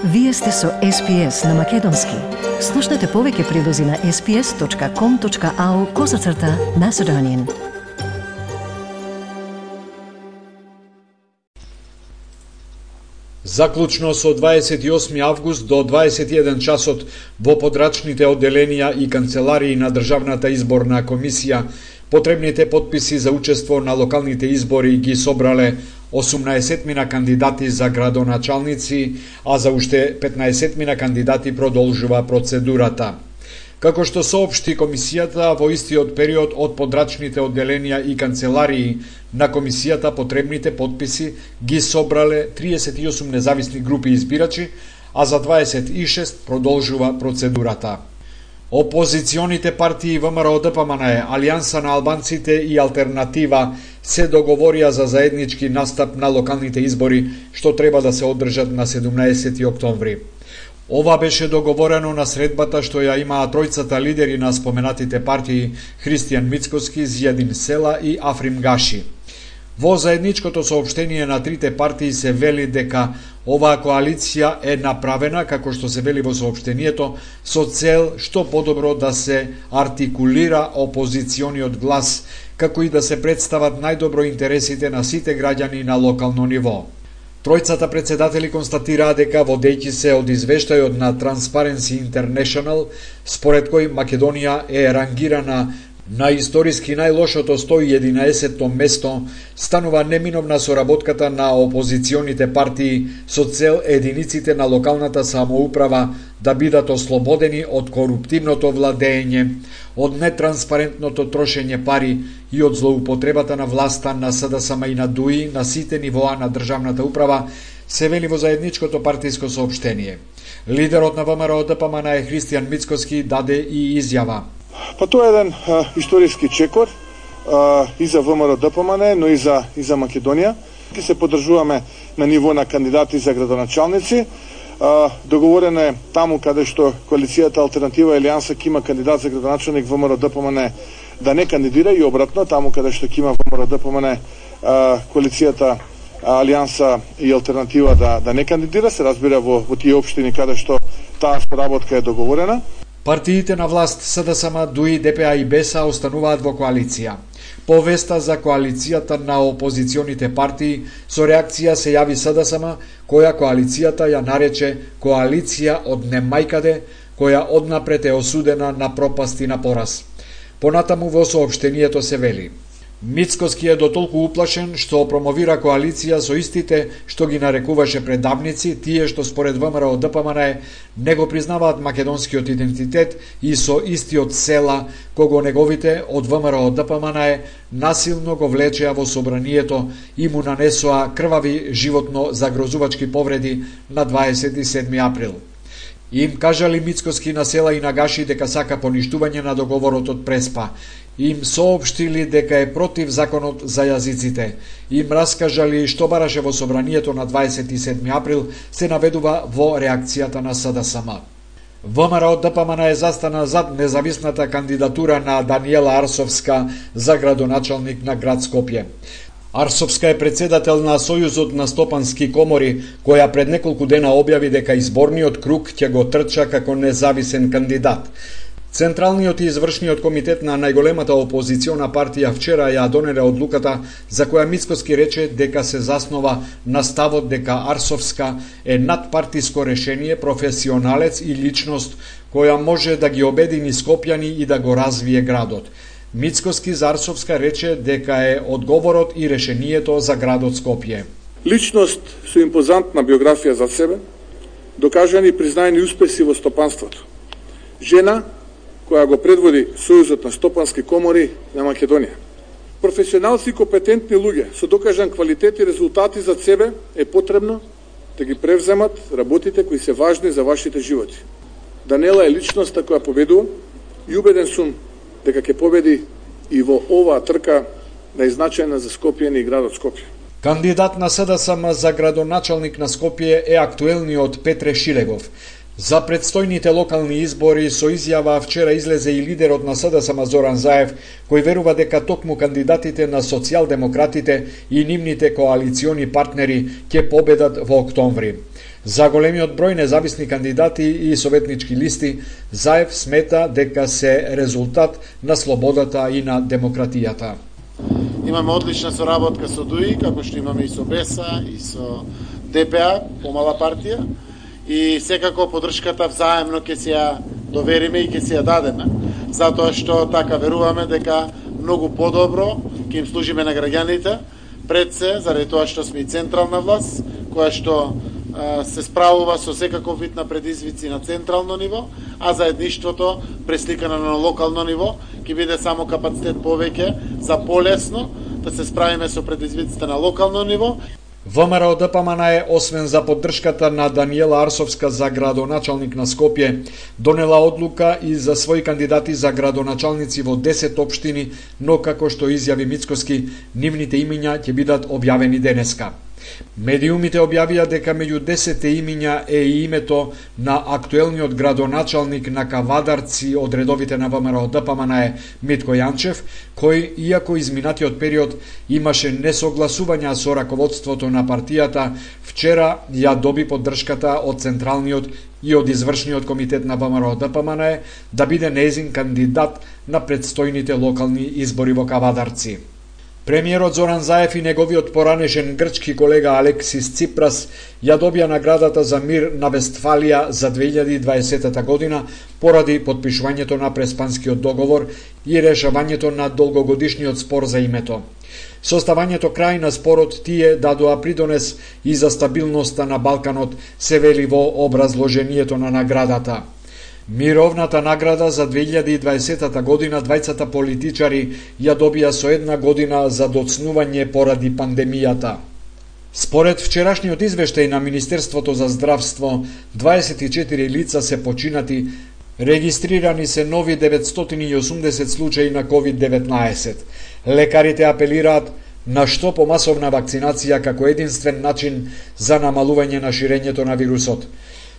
Вие сте со SPS на Македонски. Слушнете повеќе прилози на sps.com.au/Macedonian. Заклучно со 28 август до 21 часот во подрачните одделенија и канцеларии на Државната изборна комисија потребните потписи за учество на локалните избори ги собрале 18 кандидати за градоначалници, а за уште 15 кандидати продолжува процедурата. Како што соопшти комисијата, во истиот период од подрачните одделенија и канцеларии на комисијата потребните потписи ги собрале 38 независни групи избирачи, а за 26 продолжува процедурата. Опозиционите партии ВМРО-ДПМН, Алијанса на албанците и Алтернатива се договорија за заеднички настап на локалните избори, што треба да се одржат на 17 октомври. Ова беше договорено на средбата што ја имаа тројцата лидери на споменатите партии Христијан Мицкоски, Зијадин Села и Африм Гаши. Во заедничкото соопштение на трите партии се вели дека оваа коалиција е направена, како што се вели во соопштението, со цел што подобро да се артикулира опозициониот глас, како и да се представат најдобро интересите на сите граѓани на локално ниво. Тројцата председатели констатираа дека водејќи се од извештајот на Transparency International, според кој Македонија е рангирана на историски најлошото 111-то место, станува неминовна соработката на опозиционите партии со цел единиците на локалната самоуправа да бидат ослободени од коруптивното владење, од нетранспарентното трошење пари и од злоупотребата на власта на СДСМ и на ДУИ на сите нивоа на државната управа, се вели во заедничкото партиско соопштение. Лидерот на ВМРО-ДПМН Христијан Мицкоски даде и изјава. Па тоа е еден историски чекор и за ВМРО-ДПМН, но и за Македонија. Ки се поддржуваме на ниво на кандидати за градоначалници. Договорено е таму каде што коалицијата Алтернатива и Алијанса ќе има кандидат за градоначалник ВМРО-ДПМН да не кандидира и обратно, таму каде што ќе има ВМРО-ДПМН коалицијата Алијанса и Алтернатива да не кандидира, се разбира во тие општини каде што таа соработка е договорена. Партиите на власт СДСМ, ДУИ, ДПА и БЕСА остануваат во коалиција. По веста за коалицијата на опозиционите партии, со реакција се јави СДСМ, која коалицијата ја нарече коалиција од немајкаде, која однапред е осудена на пропаст и на пораз. Понатаму во соопштението се вели: Мицкоски е дотолку уплашен што промовира коалиција со истите што ги нарекуваше предавници, тие што според ВМРО-ДПМН не го признаваат македонскиот идентитет и со истиот Села, кого неговите од ВМРО-ДПМН насилно го влечеа во собранието и му нанесоа крвави животно загрозувачки повреди на 27 април. Им кажали Мицкоски на Села и на Гаши дека сака поништување на договорот од Преспа. Им соопштили дека е против законот за јазиците. Им раскажали што бараше во собранието на 27 април, се наведува во реакцијата на СДСМ. ВМРО-ДПМН е застана зад независната кандидатура на Даниела Арсовска за градоначалник на град Скопје. Арсовска е председател на Сојузот на стопански комори, која пред неколку дена објави дека изборниот круг ќе го трча како независен кандидат. Централниот и извршниот комитет на најголемата опозициона партија вчера ја донеле одлуката за која Мицкоски рече дека се заснова на ставот дека Арсовска е надпартиско решение, професионалец и личност која може да ги обедини скопјани и да го развие градот. Мицкоски за Арсовска рече дека е одговорот и решението за градот Скопје. Личност со импозантна биографија за себе, докажани и признаени успеси во стопанството. Жена која го предводи Сојузот на стопански комори на Македонија. Професионалци и компетентни луѓе со докажан квалитет и резултати за себе е потребно да ги превземат работите кои се важни за вашите животи. Даниела е личноста која победува и убеден сум дека ќе победи и во оваа трка најзначајна за Скопје и градот Скопје. Кандидат на СДСМ за градоначалник на Скопје е актуелниот Петре Шилегов. За предстојните локални избори со изјава вчера излезе и лидерот на СДСМ Зоран Заев, кој верува дека токму кандидатите на социјалдемократите и нивните коалициони партнери ќе победат во октомври. За големиот број независни кандидати и советнички листи, Заев смета дека се резултат на слободата и на демократијата. Имаме одлична соработка со ДУИ, како што имаме и со БЕСА, и со ДПА, помала партија, и секако поддршката взаемно ќе се ја довериме и ќе се ја дадеме, затоа што така веруваме дека многу подобро ќе им служиме на граѓаните, пред се, заради тоа што сме и централна власт, која што се справува со секаков вид на предизвици на централно ниво, а заедништвото пресликано на локално ниво ќе биде само капацитет повеќе за полесно да се справиме со предизвиците на локално ниво. ВМРО ДПМН е, освен за поддршката на Даниела Арсовска за градоначалник на Скопје, донела одлука и за своји кандидати за градоначалници во 10 општини, но како што изјави Мицкоски, нивните имиња ќе бидат објавени денеска. Медиумите објавија дека меѓу 10 имиња е и името на актуелниот градоначалник на Кавадарци од редовите на ВМРО ДПМН Митко Јанчев, кој, иако изминатиот период имаше несогласувања со раководството на партијата, вчера ја доби поддршката од Централниот и од Извршниот комитет на ВМРО ДПМН да биде нејзин кандидат на предстојните локални избори во Кавадарци. Премиерот Зоран Заев и неговиот поранешен грчки колега Алексис Ципрас ја добија наградата за мир на Вестфалија за 2020 година поради потпишувањето на Преспанскиот договор и решавањето на долгогодишниот спор за името. Со ставањето крај на спорот тие дадоа придонес и за стабилноста на Балканот, се вели во образложението на наградата. Мировната награда за 2020 година двајцата политичари ја добија со една година за доцнување поради пандемијата. Според вчерашниот извештај на Министерството за здравство, 24 лица се починати, регистрирани се нови 980 случаи на COVID-19. Лекарите апелираат на што помасовна вакцинација како единствен начин за намалување на ширењето на вирусот.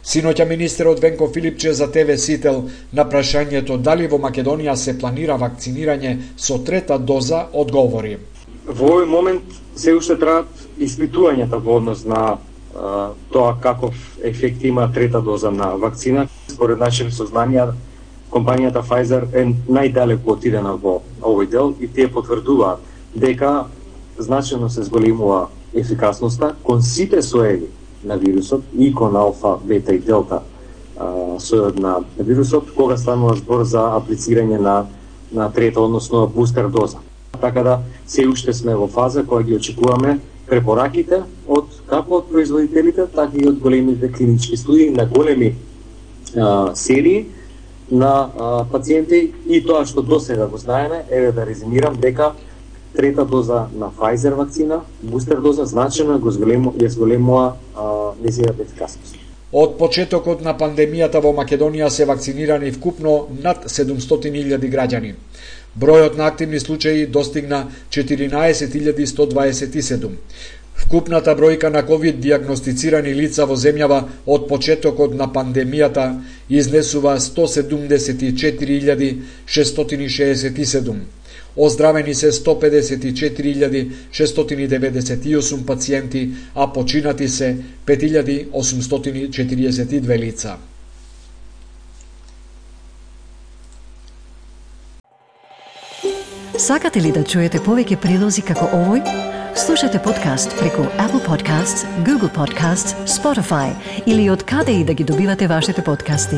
Синоќа министерот Венко Филипче за ТВ Сител на прашањето дали во Македонија се планира вакцинирање со трета доза одговори. Во овој момент се уште траат испитувањата во однос на тоа каков ефект има трета доза на вакцина. Според нашите сознанија, компанијата Pfizer е најдалеку отидена во овој дел и тие потврдуваат дека значајно се зголемува ефикасноста кон сите соеви на вирусот и кон алфа, бета и делта сојот на вирусот, кога станува збор за аплицирање на трета, односно бустер доза. Така да се уште сме во фаза која ги очекуваме препораките од како од производителите, така и од големите клинички студии на големи серии на пациенти, и тоа што досега го знаеме, еве да резимирам дека трета доза на Pfizer вакцина, бустер доза значајно ја зголемува незината ефикасност. Од почетокот на пандемијата во Македонија се вакцинирани вкупно над 700.000 граѓани. Бројот на активни случаи достигна 14.127. Вкупната бројка на COVID диагностицирани лица во земјава од почетокот на пандемијата изнесува 174.667. Оздравени се 154.698 пациенти, а починати се 5.842 лица. Сакате ли да чуете повеќе прилози како овој? Слушате подкаст преку Apple Podcasts, Google Podcasts, Spotify или од каде и да ги добивате вашите подкасти.